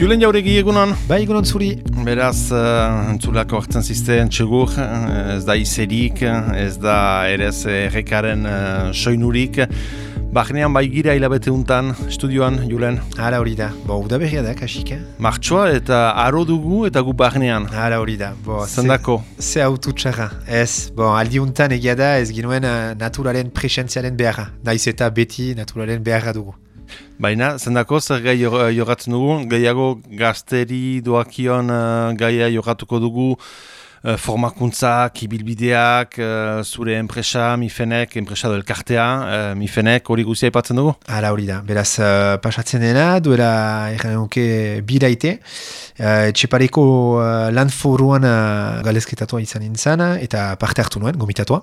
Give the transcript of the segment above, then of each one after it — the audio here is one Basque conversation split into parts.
Julen Jauregi egunon? Bai, egunon zuri. Beraz, entzulako hartzen zizten txegur, ez da izerik, ez da erez errekaren soinurik. Bahnean bai gira hilabete untan, estudioan, Julen? Hala hori da. Uda berria da, kasik, Martxoa eta aro dugu eta gu bahnean. Hala hori da. Zendako? Ze autu txarra. Ez, aldi untan egia da ez ginuen naturaren presentziaren beharra. Naiz eta beti naturaren beharra dugu. Baina, zendako, zer gai jogatzen dugu, gehiago gazteri doakion gaia jogatuko dugu, formakuntzak, ibilbideak, zure enpresa, Mifenek, enpresa do elkartea, Mifenek, hori guzia aipatzen dugu? Hala hori da, beraz pasatzen dena, duela erranuke bilaite, etxepareko lan foruan galezketatua izan nintzen, eta parte hartu nuen, gomitatua.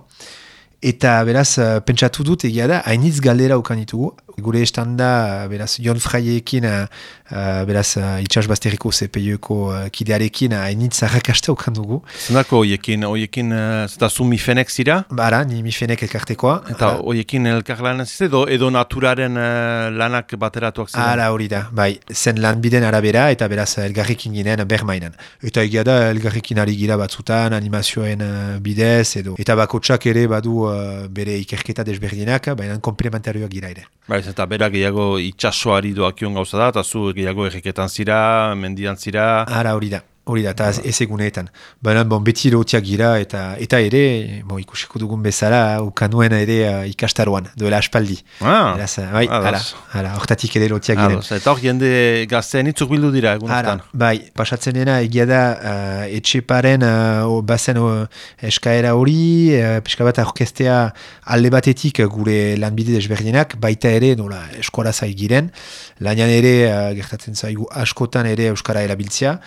Eta beraz, pentsatu dut egia da, hainitz galdera ukan ditugu. Gure estanda, beraz, Jon Fraiekin, beraz, itxasbazteriko CPI-eko kidearekin hainitz arrakasta ukan dugu. Zendako hoiekin, zeta zu Mifenek zira? Bara, ni Mifenek elkartekoa. Eta hoiekin elkarlanen zizte, edo naturaren lanak bateratuak ziren? Hala hori da, bai, zen lanbiden arabera, eta beraz, elgarrekin ginen bermainan. Eta egia da, elgarrekin ari gira batzutan, animazioen bidez, edo. Eta bakotsak ere badu bere ikerketa desberdinak, baina komplementarioak gira ere. Baiz, eta bera gehiago itxasoari doakion gauza da, eta zu gehiago erreketan zira, mendian zira... Hala hori da, eta ez eguneetan. Baina beti lotiak gira, eta ere, ikusiko dugun bezala, ukanuen ere ikastaroan, duela aspaldi. Beraz, bai, hala, hortatik ere lotiak giren. Eta hor jende gaztean itzuk bildu dira egunetan. Bai, pasatzen dena egia da etxeparen bazen eskaera hori, pixka bat orkestea alde batetik gure lanbide desberdinak, baita ere nola eskola zai giren, lanian ere gertatzen zaigu askotan ere euskara erabiltzea,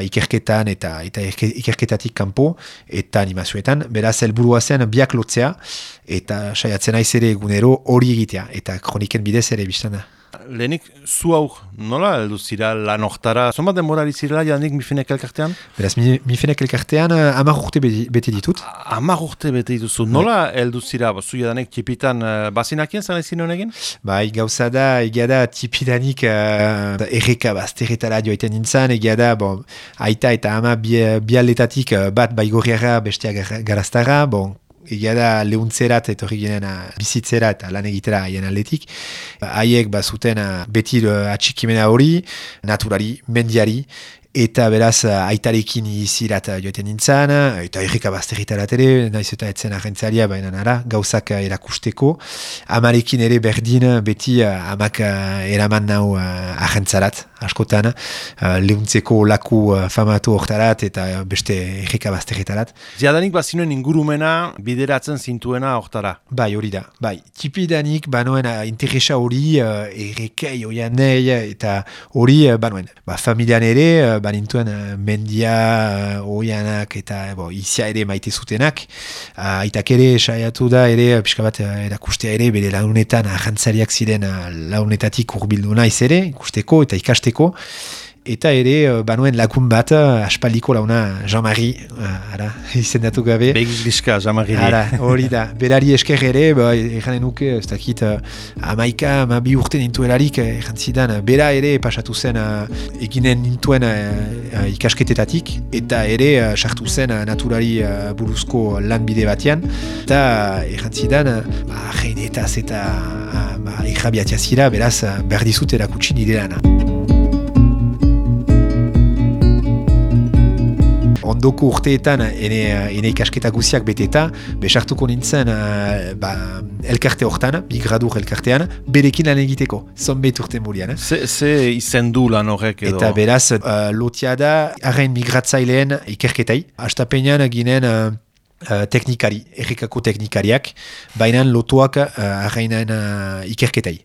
ikerketan eta ikerketatik kanpo eta animazioetan, beraz helburua zen biak lotzea eta saiatzen naiz ere egunero hori egitea eta kroniken bidez ere biztana. Lehenik, zu hau nola heldu zira lan hortara? Zonbat denborari zirela janik Mifenek elkartean? Beraz, Mifenek elkartean 10 urte bete ditut. 10 urte bete dituzu. Nola heldu zira? Zu jadanek tipitan bazinakien zan ezin honegin? Bai, gauza da, egia da tipidanik erreka bazterretara joaiten nintzen, egia da, aita eta ama bialetatik bat baigorriara bestea garaztara, egia da lehuntzerat etorri ginen bizitzera eta lan egitera haien aldetik. Haiek bazuten beti atxikimena hori, naturari, mendiari, eta beraz aitarekin izirat joeten nintzen, eta erreka bazterritarat ere, naiz eta etzen agentzalia, baina nara, gauzak erakusteko. Amarekin ere berdin, beti amak eraman nau agentzarat, askotan, lehuntzeko laku famatu hortarat, eta beste erreka bazterritarat. Ziadanik bazinuen ingurumena bideratzen zintuena hortara? Bai, hori da, bai. Tipidanik banoen interesa hori, errekei oian nahi, eta hori banoen. Familian ere, banintuen mendia oianak eta izia ere maite zutenak. Aitak ere saiatu da ere pixka bat erakustea ere bere launetan ahantzariak ziren launetatik urbildu naiz ere ikusteko eta ikasteko. Eta ere, banuen lagun bat, aspaldiko launa Jean-Marie, izendatu gabe. Begigliska, Jean-Marie. Hori da, berari esker ere, erranen nuke, ez dakit, 12 urte nintuelarik, errantzidan, bera ere pasatu zen eginen nintuen ikasketetatik, eta ere sartu zen naturari buruzko lanbide batean, eta errantzidan, reinetaz eta errabiatia zira, beraz, behar dizut erakutsi nire lana. Ondoko urteetan, ene ikasketa guziak beteta, besartuko nintzen elkarte hortan, bigradur elkartean, berekin lan egiteko, zonbait urte murian. Ze izendu lan horrek edo? Eta beraz, lotia da, arrain migratzaileen ikerketai. Astapenean ginen teknikari, errekako teknikariak, baina lotuak arrainen ikerketai.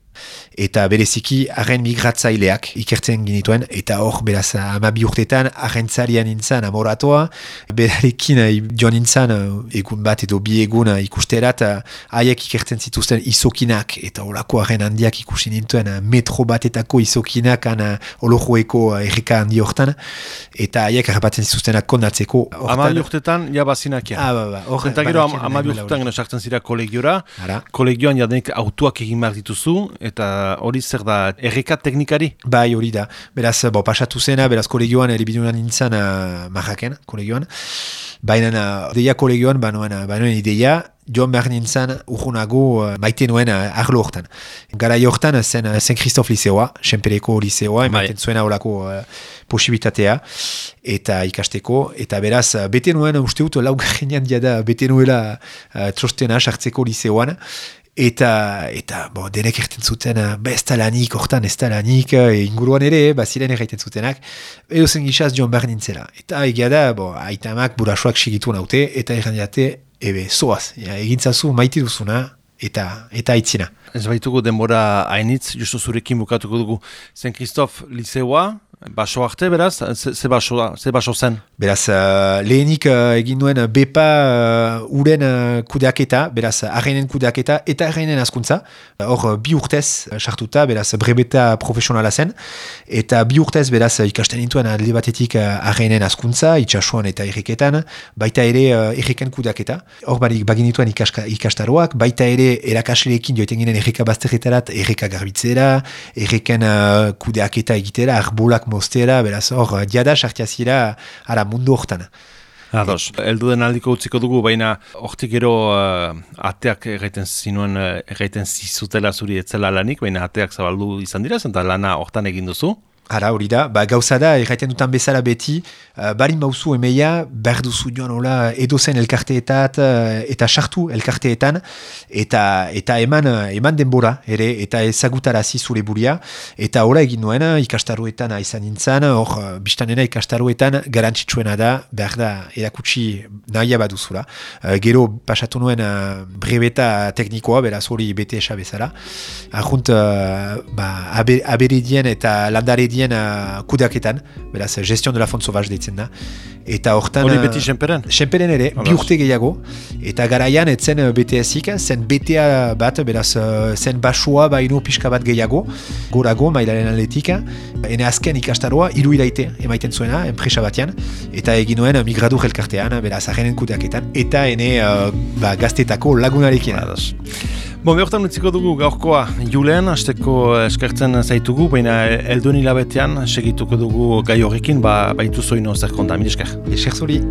eta bereziki arren migratzaileak ikertzen ginituen, eta hor beraz 12 urtetan arrentzarian nintzen amoratoa, berarekin joan nintzen egun bat edo bi egun ikusterat, haiek ikertzen zituzten izokinak, eta holako arren handiak ikusi nintuen metro batetako izokinak olojoeko erreka handi hortan, eta haiek harrapatzen zituztenak kondatzeko. 12 urtetan jabazinakia. Zenta gero 12 urtetan gero sartzen zira kolegiora, kolegioan jadenik autuak egin behar dituzu, eta hori zer da, erreka teknikari? Bai, hori da. Beraz, pasatu zena, beraz kolegioan eribidunan nintzen Marraken, kolegioan. Baina, ideia kolegioan, banoen ideia, joan behar nintzen urgunago maite nuen arlo hortan. Gara hortan zen Saint-Christophe liceoa, Senpereko liceoa, ematen zuena horako posibitatea, eta ikasteko, eta beraz, bete nuen, uste dut, laugarrenean diada, bete nuela trostena sartzeko liceoan, eta denek erten zuten, ez da lanik, hortan ez da lanik, inguruan ere, ziren erraiten zutenak, edo zen gizaz joan behar nintzela. Eta egia da, aitamak burasoak sigitu naute, eta errandiate, zoaz, egintzazu maite duzuna, eta aitzina. Ez baitugu denbora hainitz, justu zurekin bukatuko dugu. Saint-Christophe liceoa, baso arte, beraz, ze baso zen? Beraz, lehenik egin duen bepa uren kudeaketa, beraz, arreinen kudeaketa eta arreinen askuntza. Hor, 2 urtez sartuta, beraz, brebeta profesionala zen. Eta 2 urtez, beraz, ikasten nintuen alde batetik arreinen askuntza, itxasuan eta erreketan, baita ere erreken kudeaketa. Hor, bagin nituen ikastaroak, baita ere erakasleekin joiten ginen erreka bazterretarat, erreka garbitzera, erreken kudeaketa egitera, arbolak mostera, beraz, hor, diada sartiazira ara mundu hortan. Ados, elduden aldiko utziko dugu, baina hortik gero ateak erraiten zizutela zuri etzela lanik, baina ateak zabaldu izan dira, eta lana hortan egin duzu. Hara, hori da, gauza da, erraiten dutan bezala beti, barin bauzu emeia, berduzu joan hola edozen elkarteetat, eta sartu elkarteetan, eta eman denbora, ere, eta ezagutarazi zure buria, eta hola egin nuen, ikastaroetan izan nintzen, hor, biztanena ikastaroetan garantzitsuena da, behar da, erakutsi nahia baduzula. Gero, pasatu nuen brebeta teknikoa, beraz hori bete esa bezala. Arrunt, aberedien eta landaredien kudeaketan, beraz, gestion de la fond sauvage deitzen da. Eta hortan... Hori beti Senperen? Senperen ere, 2 urte gehiago. Eta garaian, etzen BTS-ik, zen BTA bat, beraz, zen basua baino pixka bat gehiago, gorago, mailaren atletik. Ene azken ikastaroa, 3 iraite emaiten zuena, enpresa batean, eta egin nuen migradur elkartean, beraz, arrenen kudeaketan, eta ene gaztetako lagunarekin. Behortan utziko dugu gaurkoa Julen, hasteko eskertzen zaitugu, baina elduen hilabetean segituko dugu gai horrekin, baitu zoino zer konta, mil esker. Esker zuri.